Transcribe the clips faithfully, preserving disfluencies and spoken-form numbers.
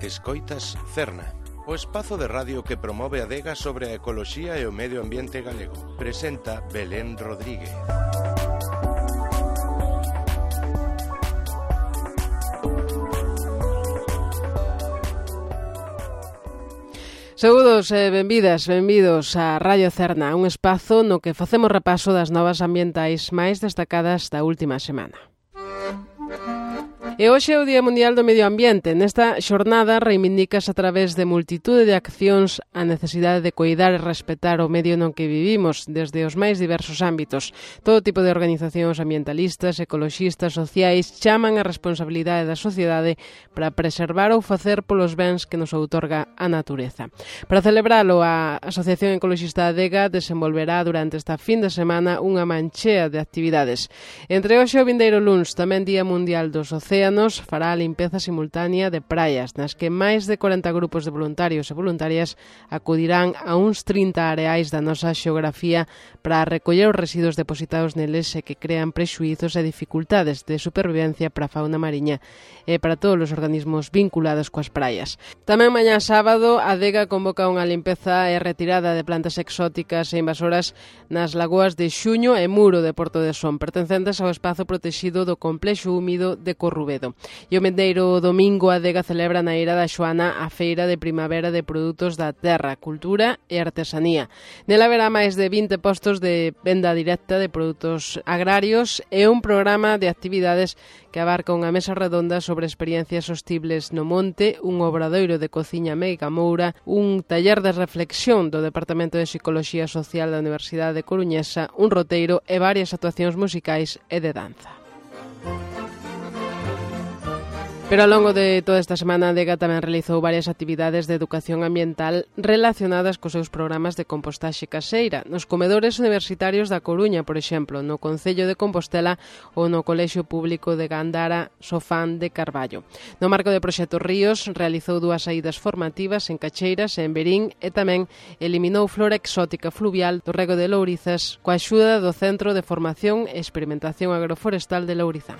Escoitas Cerna, o espazo de radio que promove a adega sobre a ecoloxía e o medio ambiente galego. Presenta Belén Rodríguez. Saúdos e benvidas, benvidos a Radio Cerna, un espazo no que facemos repaso das novas ambientais máis destacadas da última semana. E hoxe é o Día Mundial do Medio Ambiente. Nesta xornada reivindicas a través de multitude de accións a necesidade de coidar e respetar o medio no que vivimos desde os máis diversos ámbitos. Todo tipo de organizacións ambientalistas, ecoloxistas, sociais chaman a responsabilidade da sociedade para preservar ou facer polos bens que nos outorga a natureza. Para celebralo, a Asociación Ecoloxista Adega desenvolverá durante esta fin de semana unha manchea de actividades. Entre hoxe o vindeiro luns, tamén Día Mundial dos Océanos, fará a limpeza simultánea de praias, nas que máis de corenta grupos de voluntarios e voluntarias acudirán a uns trinta areais da nosa xeografía para recoller os residuos depositados neles e que crean prexuízos e dificultades de supervivencia para a fauna mariña e para todos os organismos vinculados coas praias. Tamén mañá sábado, a Adega convoca unha limpeza e retirada de plantas exóticas e invasoras nas lagoas de Xuño e Muro de Porto de Son, pertencentes ao espazo protexido do complexo húmido de Corrubedo. E o mendeiro domingo a Adega celebra na Eira da Xoana a Feira de Primavera de Produtos da Terra, Cultura e Artesanía. Nela haberá máis de vinte postos de venda directa de produtos agrarios e un programa de actividades que abarca unha mesa redonda sobre experiencias sostibles no monte, un obradoiro de cociña Meiga Moura, un taller de reflexión do Departamento de Psicoloxía Social da Universidade Coruñesa, un roteiro e varias actuacións musicais e de danza. Pero ao longo de toda esta semana a Adega tamén realizou varias actividades de educación ambiental relacionadas cos seus programas de compostaxe caseira nos comedores universitarios da Coruña, por exemplo, no Concello de Compostela ou no Colexio Público de Gandara Sofán de Carballo. No marco do Proxecto Ríos realizou dúas saídas formativas en Cacheiras e en Verín e tamén eliminou flora exótica fluvial do rego de Lourizas coa axuda do Centro de Formación e Experimentación Agroforestal de Lourizán.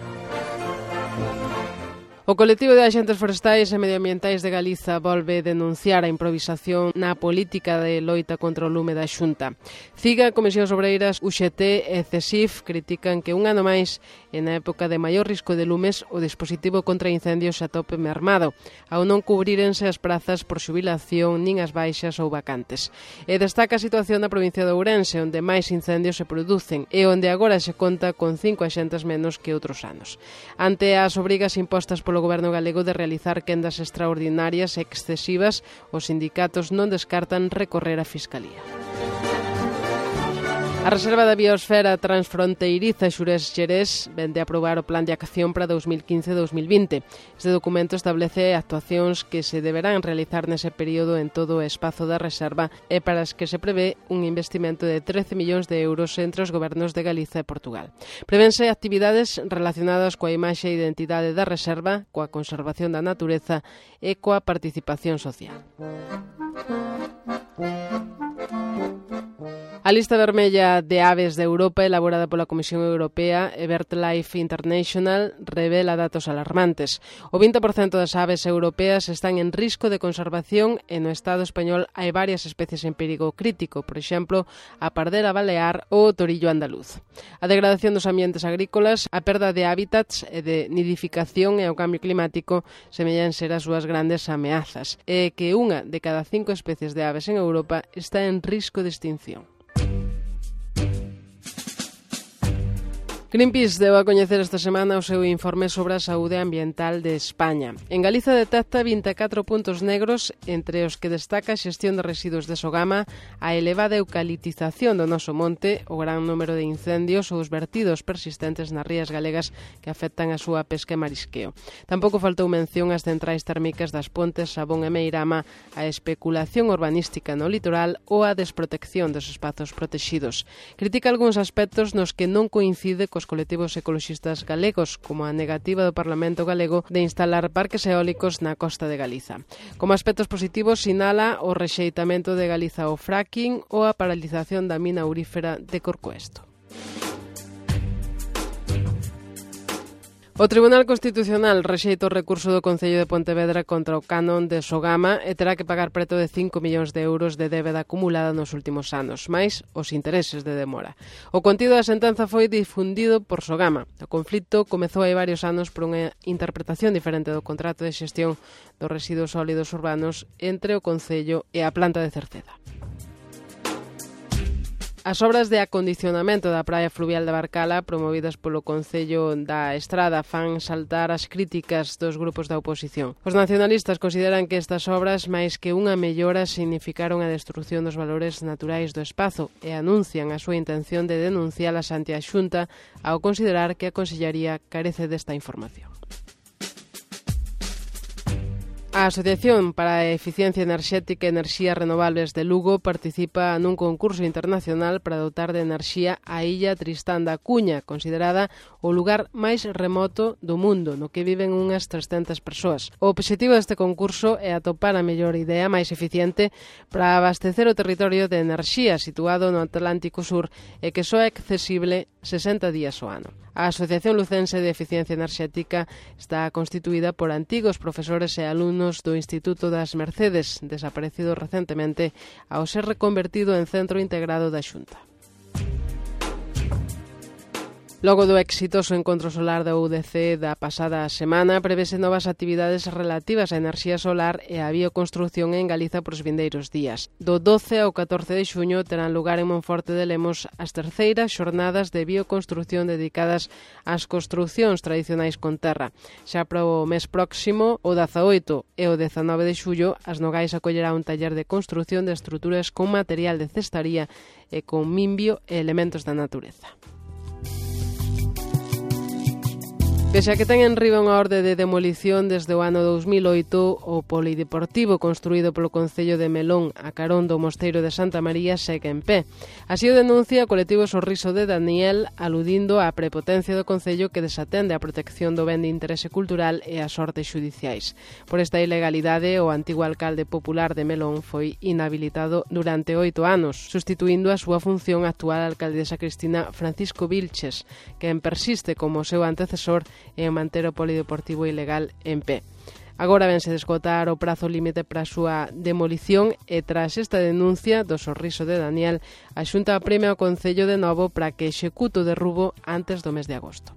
O colectivo de axentes forestais e medioambientais de Galiza volve denunciar a improvisación na política de loita contra o lume da Xunta. CIGA, Comisións Obreiras, U X T e CESIF critican que un ano máis, e na época de maior risco de lumes, o dispositivo contra incendios a tope mermado, ao non cubrírense as prazas por xubilación nin as baixas ou vacantes. E destaca a situación da provincia de Ourense, onde máis incendios se producen e onde agora se conta con cinco axentes menos que outros anos. Ante as obrigas impostas polo o Goberno galego de realizar quendas extraordinarias e excesivas, os sindicatos non descartan recorrer á Fiscalía. A Reserva da Biosfera Transfronteiriza Xurés-Xerés vende a aprobar o Plan de Acción para dos mil quince a dos mil vinte. Este documento establece actuacións que se deberán realizar nese período en todo o espazo da reserva e para as que se prevé un investimento de trece millóns de euros entre os gobernos de Galiza e Portugal. Prevense actividades relacionadas coa imaxe e identidade da reserva, coa conservación da natureza e coa participación social. A lista vermella de aves de Europa elaborada pola Comisión Europea e BirdLife International revela datos alarmantes. O vinte por cento das aves europeas están en risco de conservación e no Estado español hai varias especies en perigo crítico, por exemplo, a pardera balear ou o torillo andaluz. A degradación dos ambientes agrícolas, a perda de hábitats e de nidificación e o cambio climático semellan ser as súas grandes ameazas e que unha de cada cinco especies de aves en Europa está en risco de extinción. Greenpeace deu a coñecer esta semana o seu informe sobre a saúde ambiental de España. En Galiza detecta vinte e catro puntos negros, entre os que destaca a xestión de residuos de Sogama, a elevada eucaliptización do noso monte, o gran número de incendios ou os vertidos persistentes nas rías galegas que afectan a súa pesca e marisqueo. Tampouco faltou mención ás centrais térmicas das Pontes, Sabón e Meirama, a especulación urbanística no litoral ou a desprotección dos espazos protexidos. Critica algúns aspectos nos que non coincide cos colectivos ecoloxistas galegos, como a negativa do Parlamento galego de instalar parques eólicos na costa de Galiza. Como aspectos positivos sinala o rexeitamento de Galiza ao fracking ou a paralización da mina aurífera de Corcoesto. O Tribunal Constitucional rexeita o recurso do Concello de Pontevedra contra o canon de Sogama e terá que pagar preto de cinco millóns de euros de débeda acumulada nos últimos anos, máis os intereses de demora. O contido da sentenza foi difundido por Sogama. O conflito comezou hai varios anos por unha interpretación diferente do contrato de xestión dos residuos sólidos urbanos entre o Concello e a planta de Cerceda. As obras de acondicionamento da praia fluvial de Barcala, promovidas polo Concello da Estrada, fan saltar as críticas dos grupos da oposición. Os nacionalistas consideran que estas obras, máis que unha mellora, significaron a destrucción dos valores naturais do espazo e anuncian a súa intención de denuncialas ante a Xunta ao considerar que a Consellería carece desta información. A Asociación para a Eficiencia Enerxética e Enerxías Renovables de Lugo participa nun concurso internacional para dotar de enerxía a illa Tristán da Cuña, considerada o lugar máis remoto do mundo, no que viven unhas trescentas persoas. O obxectivo deste concurso é atopar a mellor idea máis eficiente para abastecer o territorio de enerxía situado no Atlántico Sur e que só é accesible sesenta días ao ano. A Asociación Lucense de Eficiencia Enerxética está constituída por antigos profesores e alumnos do Instituto das Mercedes, desaparecido recentemente ao ser reconvertido en centro integrado da Xunta. Logo do exitoso encontro solar da U D C da pasada semana, prevese novas actividades relativas á enerxía solar e á bioconstrucción en Galiza por os vindeiros días. Do doce ao catorce de xuño terán lugar en Monforte de Lemos as terceiras xornadas de bioconstrucción dedicadas ás construccións tradicionais con terra. Xa para o mes próximo, o dezaoito e o dezanove de xullo, as Nogais acollerá un taller de construcción de estruturas con material de cestaría e con mimbio e elementos da natureza. Pese a que ten en riba unha orde de demolición desde o ano dous mil oito, o polideportivo construído polo Concello de Melón a carón do Mosteiro de Santa María segue en pé. Así o denuncia o colectivo Sorriso de Daniel, aludindo á prepotencia do Concello que desatende a protección do ben de interese cultural e as ordes xudiciais. Por esta ilegalidade, o antigo alcalde popular de Melón foi inhabilitado durante oito anos, sustituindo a súa función a actual alcaldesa Cristina Francisco Vilches, quen persiste como seu antecesor e manter o polideportivo ilegal en pé. Agora vense de esgotar o prazo límite para a súa demolición e tras esta denuncia do Sorriso de Daniel, a Xunta apremia ao Concello de novo para que execute o derrubo antes do mes de agosto.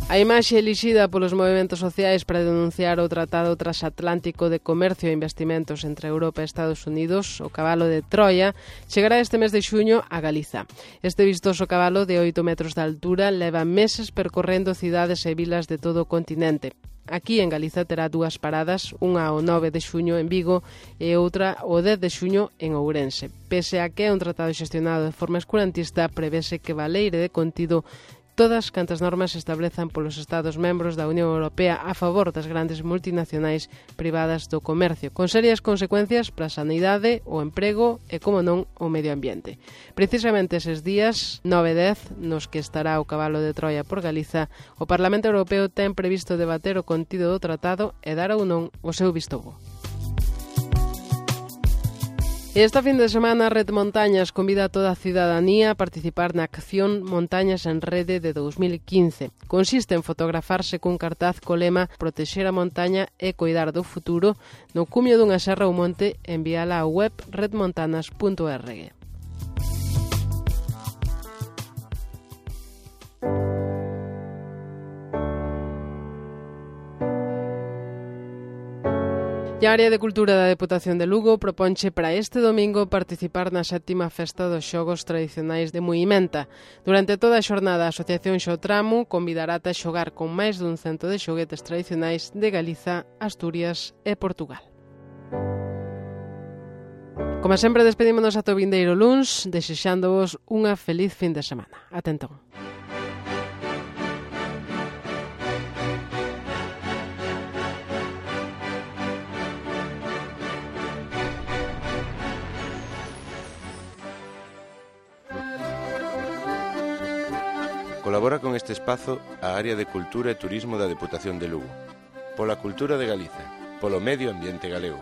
A imaxe elixida polos movementos sociais para denunciar o Tratado Transatlántico de Comercio e Investimentos entre Europa e Estados Unidos, o cabalo de Troia, chegará este mes de xuño a Galiza. Este vistoso cabalo de oito metros de altura leva meses percorrendo cidades e vilas de todo o continente. Aquí en Galiza terá dúas paradas, unha o nove de xuño en Vigo e outra o dez de xuño en Ourense. Pese a que é un tratado xestionado de forma escurantista, prevese que valeire de contido todas cantas normas se establezan polos Estados membros da Unión Europea a favor das grandes multinacionais privadas do comercio, con serias consecuencias para a sanidade, o emprego e, como non, o medio ambiente. Precisamente eses días, nove e dez, nos que estará o cabalo de Troia por Galiza, o Parlamento Europeo ten previsto debater o contido do tratado e dar ou non o seu visto bo. Esta fin de semana, Red Montañas convida a toda a cidadanía a participar na acción Montañas en Rede de dous mil quince. Consiste en fotografarse cun cartaz co lema Protexer a montaña e coidar do futuro no cumio dunha serra ou monte e enviala á web red montanas punto org. E a Área de Cultura da Deputación de Lugo proponche para este domingo participar na sétima festa dos xogos tradicionais de Muimenta. Durante toda a xornada, a Asociación Xotramu convidará a xogar con máis dun cento de xoguetes tradicionais de Galiza, Asturias e Portugal. Como sempre, despedímonos ata o vindeiro luns, desexándovos unha feliz fin de semana. Ata entón. Colabora con este espazo a Área de Cultura e Turismo da Deputación de Lugo. Pola cultura de Galiza, polo medio ambiente galego.